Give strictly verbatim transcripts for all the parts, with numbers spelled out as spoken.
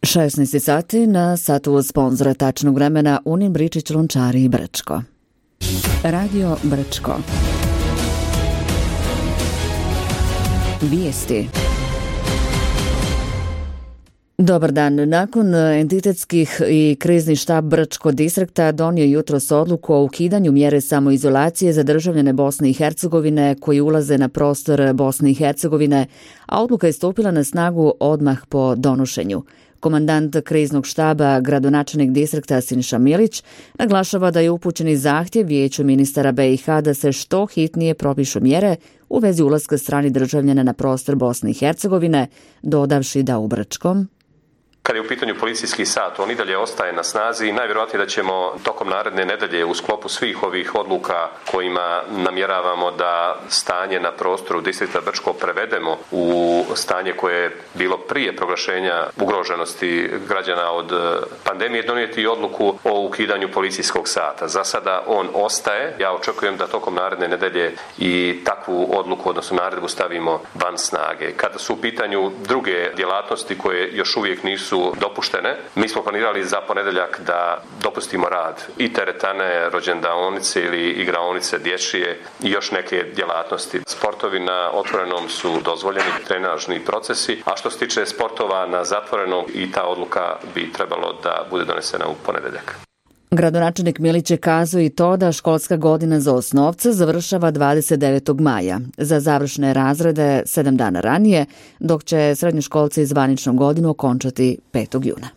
šesnaest sati na satu sponzora tačnog vremena Unin Bričić Lončari i Brčko. Radio Brčko. Vijesti. Dobar dan. Nakon entitetskih i krizni štab Brčko distrikta donio jutros odluku o ukidanju mjere samoizolacije za državljane Bosne i Hercegovine koji ulaze na prostor Bosne i Hercegovine, a odluka je stupila na snagu odmah po donošenju. Komandant kriznog štaba, gradonačelnik distrikta Siniša Milić, naglašava da je upućeni zahtjev Vijeću ministara B i H da se što hitnije propišu mjere u vezi ulaska stranih državljana na prostor Bosne i Hercegovine, dodavši da u Brčkom kad je u pitanju policijski sat, on i dalje ostaje na snazi i najvjerojatnije da ćemo tokom naredne nedelje u sklopu svih ovih odluka kojima namjeravamo da stanje na prostoru distrikta Brčko prevedemo u stanje koje je bilo prije proglašenja ugroženosti građana od pandemije, donijeti odluku o ukidanju policijskog sata. Za sada on ostaje. Ja očekujem da tokom naredne nedelje i takvu odluku, odnosno naredbu, stavimo van snage. Kada su u pitanju druge djelatnosti koje još uvijek nisu dopuštene, mi smo planirali za ponedjeljak da dopustimo rad i teretane, rođendaonice ili igraonice dječje i još neke djelatnosti. Sportovi na otvorenom su dozvoljeni, trenažni procesi, a što se tiče sportova na zatvorenom, i ta odluka bi trebalo da bude donesena u ponedjeljak. Gradonačelnik Milić je kazao i to da školska godina za osnovce završava dvadeset devetog maja, za završne razrede sedam dana ranije, dok će srednjoškolci zvaničnu godinu okončati petog juna.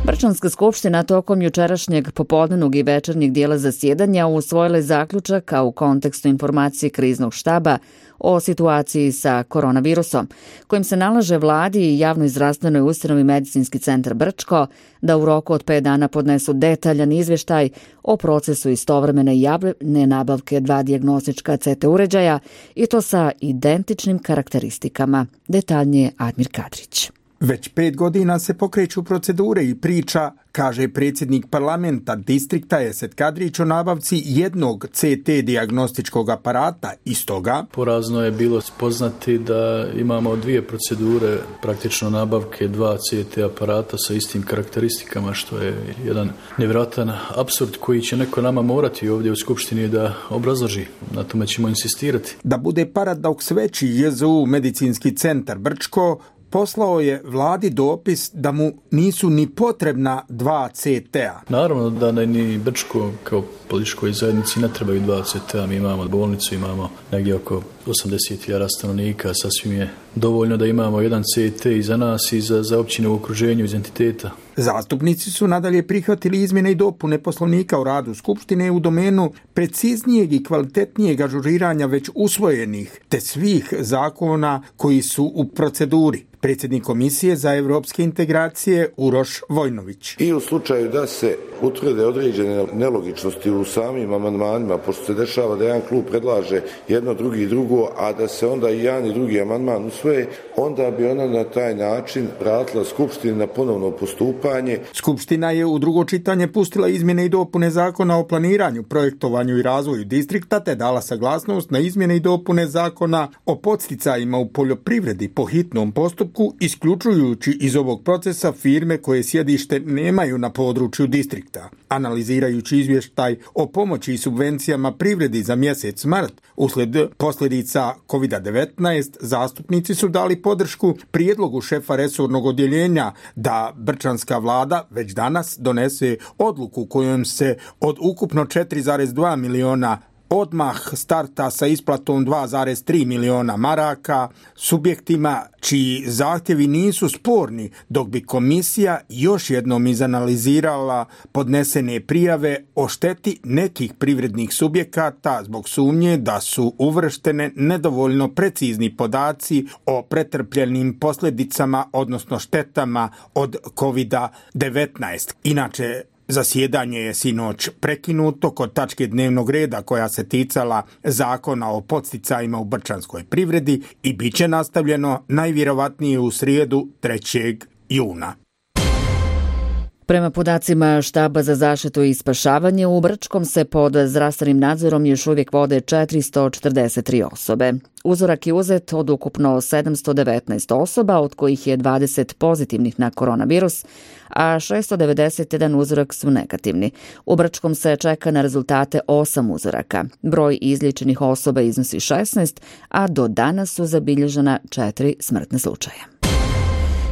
Brčanska skupština tokom jučerašnjeg popodnevnog i večernjeg dijela zasjedanja usvojila je zaključak, a u kontekstu informacije kriznog štaba o situaciji sa koronavirusom, kojim se nalaže vladi i javnoj zdravstvenoj ustanovi Medicinski centar Brčko da u roku od pet dana podnesu detaljan izvještaj o procesu istovremene javne nabavke dva dijagnostička C T uređaja, i to sa identičnim karakteristikama. Detaljnije Admir Kadrić. Već pet godina se pokreću procedure i priča, kaže predsjednik parlamenta distrikta Esed Kadrić, o nabavci jednog C T dijagnostičkog aparata. Iz toga porazno je bilo spoznati da imamo dvije procedure praktično nabavke dva C T aparata sa istim karakteristikama, što je jedan nevjerojatan apsurd koji će neko nama morati ovdje u skupštini da obrazloži. Na tome ćemo insistirati. Da bude paradoks veći, J Z U Medicinski centar Brčko poslao je vladi dopis da mu nisu ni potrebna dva C T-a. Naravno da ne, ni Brčko kao političkoj zajednici ne trebaju dva C T-a. Mi imamo bolnicu, imamo negdje oko osamdeset hiljada stanovnika, sasvim je dovoljno da imamo jedan C T i za nas i za, za općine u okruženju iz entiteta. Zastupnici su nadalje prihvatili izmjene i dopune Poslovnika o radu Skupštine u domenu preciznijeg i kvalitetnijeg ažuriranja već usvojenih te svih zakona koji su u proceduri. Predsjednik Komisije za europske integracije Uroš Vojnović. I u slučaju da se utvrde određene nelogičnosti u samim amandmanima, pošto se dešava da jedan klub predlaže jedno, drugi i drugo, a da se onda i jedan i drugi amandman usvoje, onda bi ona na taj način vratila Skupštini na ponovno postupanje. Skupština je u drugo čitanje pustila izmjene i dopune Zakona o planiranju, projektovanju i razvoju distrikta, te dala saglasnost na izmjene i dopune Zakona o podsticajima u poljoprivredi po hitnom postupku, isključujući iz ovog procesa firme koje sjedište nemaju na području distrikta. Analizirajući izvještaj o pomoći i subvencijama privredi za mjesec mart uslijed posljedica kovid devetnaest, zastupnici su dali podršku prijedlogu šefa resornog odjeljenja da brčanska vlada već danas donese odluku kojom se od ukupno četiri zarez dva miliona odmah starta sa isplatom dva zarez tri miliona maraka subjektima čiji zahtjevi nisu sporni, dok bi komisija još jednom izanalizirala podnesene prijave o šteti nekih privrednih subjekata zbog sumnje da su uvrštene nedovoljno precizni podaci o pretrpljenim posljedicama, odnosno štetama od kovid devetnaest. Inače, zasjedanje je sinoć prekinuto kod tačke dnevnog reda koja se ticala Zakona o podsticajima u brčanskoj privredi i bit će nastavljeno najvjerovatnije u srijedu trećeg juna. Prema podacima Štaba za zaštitu i spašavanje, u Brčkom se pod zdravstvenim nadzorom još uvijek vode četiristo četrdeset tri osobe. Uzorak je uzet od ukupno sedamsto devetnaest osoba, od kojih je dvadeset pozitivnih na koronavirus, a šessto devedeset jedan uzorak su negativni. U Brčkom se čeka na rezultate osam uzoraka. Broj izliječenih osoba iznosi šesnaest, a do danas su zabilježena četiri smrtne slučaja.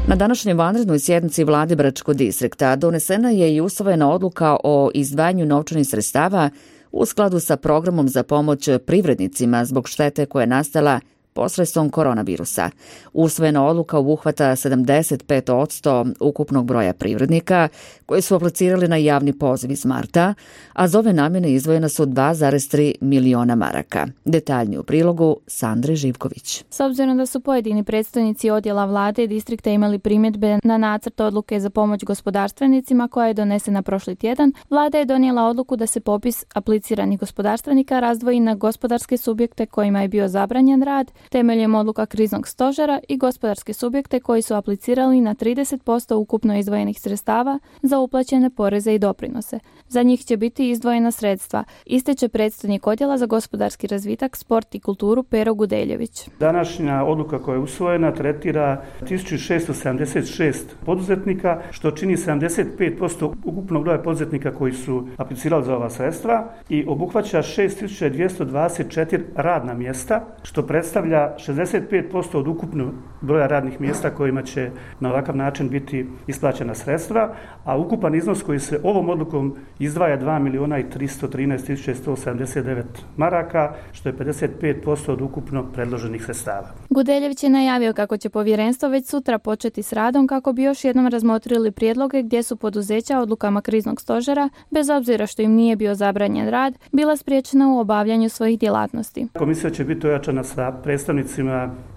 Na današnjoj vanrednoj sjednici vlade Bračkog distrikta donesena je i usvojena odluka o izdvajanju novčanih sredstava u skladu sa programom za pomoć privrednicima zbog štete koja je nastala posredstvom koronavirusa. Usvojena odluka obuhvata sedamdeset pet posto ukupnog broja privrednika koji su aplicirali na javni poziv iz marta, a za ove namjene izdvojena su dva zarez tri miliona maraka. Detaljnije u prilogu Sandre Živković. S obzirom da su pojedini predstavnici odjela vlade i distrikta imali primjedbe na nacrt odluke za pomoć gospodarstvenicima koja je donesena prošli tjedan, vlada je donijela odluku da se popis apliciranih gospodarstvenika razdvoji na gospodarske subjekte kojima je bio zabranjen rad, temeljem odluka kriznog stožera i gospodarske subjekte koji su aplicirali na trideset posto ukupno izdvojenih sredstava za uplaćene poreze i doprinose. Za njih će biti izdvojena sredstva, ističe predstojnik odjela za gospodarski razvitak, sport i kulturu Pero Gudeljević. Današnja odluka koja je usvojena tretira tisuću šessto sedamdeset šest poduzetnika, što čini sedamdeset pet posto ukupnog broja poduzetnika koji su aplicirali za ova sredstva i obuhvaća šest tisuća dvjesto dvadeset četiri radna mjesta, što predstavlja šezdeset pet posto od ukupnog broja radnih mjesta kojima će na ovakav način biti isplaćena sredstva, a ukupan iznos koji se ovom odlukom izdvaja dva milijuna i tristo trinaest tisuća sto sedamdeset devet maraka, što je pedeset pet posto od ukupno predloženih sredstava. Gudeljević je najavio kako će povjerenstvo već sutra početi s radom kako bi još jednom razmotrili prijedloge gdje su poduzeća odlukama kriznog stožera, bez obzira što im nije bio zabranjen rad, bila spriječena u obavljanju svojih djelatnosti. Komisija će biti ojačana sa predstavnicima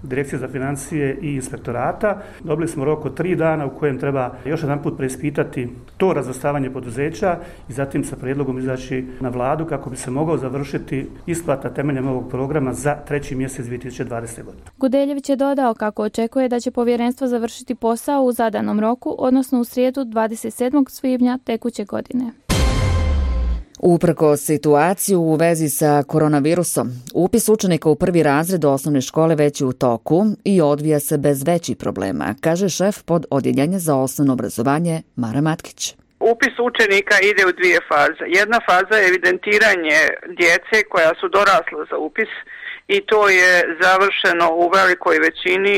Direkcije za financije i inspektorata. Dobili smo rok od tri dana u kojem treba još jedan put preispitati to razvrstavanje poduzeća i zatim sa prijedlogom izaći na vladu kako bi se mogao završiti isplata temeljem ovog programa za treći mjesec dvije tisuće dvadesete. godine. Gudeljević je dodao kako očekuje da će povjerenstvo završiti posao u zadanom roku, odnosno u srijedu dvadeset sedmog svibnja tekuće godine. Uprkos situaciju u vezi sa koronavirusom, upis učenika u prvi razred osnovne škole već je u toku i odvija se bez većih problema, kaže šef pod odjeljenja za osnovno obrazovanje Mara Matkić. Upis učenika ide u dvije faze. Jedna faza je evidentiranje djece koja su dorasla za upis i to je završeno u velikoj većini.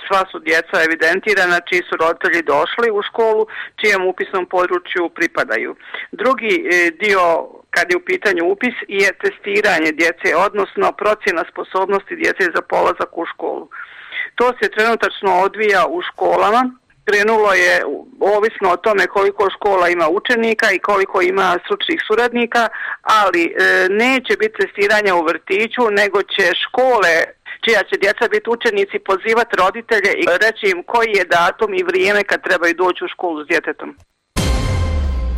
Sva su djeca evidentirana čiji su roditelji došli u školu, čijem upisnom području pripadaju. Drugi dio, kad je u pitanju upis, je testiranje djece, odnosno procjena sposobnosti djece za polazak u školu. To se trenutačno odvija u školama. Krenulo je ovisno o tome koliko škola ima učenika i koliko ima stručnih suradnika, ali e, neće biti testiranja u vrtiću, nego će škole čija će djeca biti učenici pozivati roditelje i reći im koji je datum i vrijeme kad trebaju doći u školu s djetetom.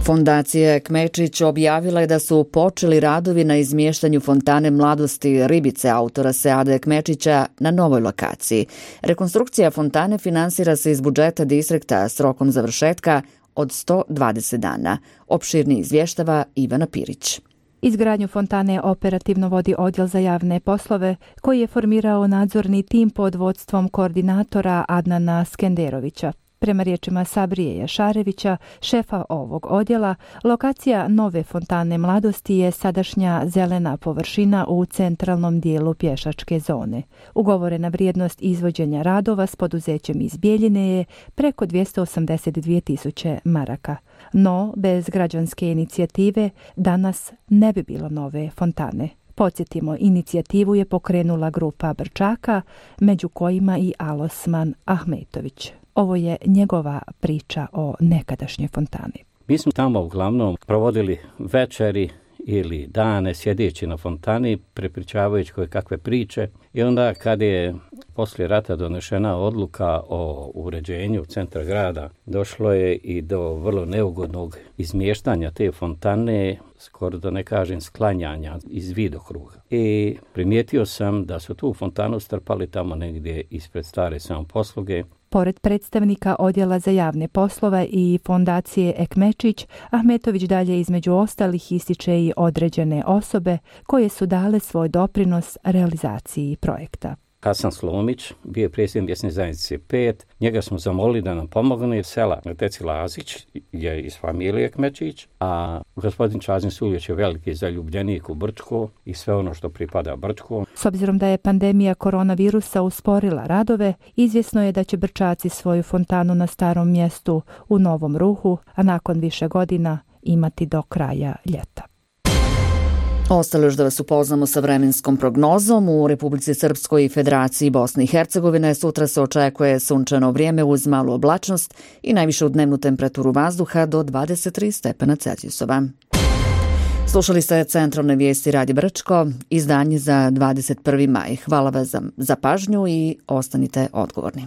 Fondacija Kmečić objavila je da su počeli radovi na izmještanju fontane Mladosti Ribice autora Seada Kmečića na novoj lokaciji. Rekonstrukcija fontane finansira se iz budžeta distrikta s rokom završetka od sto dvadeset dana. Opširni izvještava Ivana Pirić. Izgradnju fontane operativno vodi Odjel za javne poslove koji je formirao nadzorni tim pod vodstvom koordinatora Adnana Skenderovića. Prema riječima Sabrije Jašarevića, šefa ovog odjela, lokacija nove fontane Mladosti je sadašnja zelena površina u centralnom dijelu pješačke zone. Ugovorena vrijednost izvođenja radova s poduzećem iz Bijeljine je preko dvjesto osamdeset dvije tisuće maraka. No, bez građanske inicijative danas ne bi bilo nove fontane. Podsjetimo, inicijativu je pokrenula grupa Brčaka, među kojima i Alosman Ahmetović. Ovo je njegova priča o nekadašnjoj fontani. Mi smo tamo uglavnom provodili večeri ili dane sjedeći na fontani, prepričavajući koje kakve priče. I onda kad je poslije rata donešena odluka o uređenju centra grada, došlo je i do vrlo neugodnog izmještanja te fontane, skoro da ne kažem sklanjanja iz vidokruga. I primijetio sam da su tu fontanu strpali tamo negdje ispred stare samoposluge. Pored predstavnika Odjela za javne poslove i fondacije Ekmečić, Ahmetović dalje između ostalih ističe i određene osobe koje su dale svoj doprinos realizaciji projekta. Hasan Slomić, bio je predsjednik mjesne zajednice pet. Njega smo zamolili da nam pomogne. Sela Teci Lazić je iz familije Kmečić, a gospodin Čazin Suljoć je veliki zaljubljenik u Brčko i sve ono što pripada Brčku. S obzirom da je pandemija koronavirusa usporila radove, izvjesno je da će Brčaci svoju fontanu na starom mjestu u Novom Ruhu, a nakon više godina imati do kraja ljeta. Ostalo još da vas upoznamo sa vremenskom prognozom. U Republici Srpskoj i Federaciji Bosne i Hercegovine sutra se očekuje sunčano vrijeme uz malu oblačnost i najvišu dnevnu temperaturu vazduha do dvadeset tri stepena Celzijusova. Slušali ste centralne vijesti Radija Brčko, izdanje za dvadeset prvi maj. Hvala vam za pažnju i ostanite odgovorni.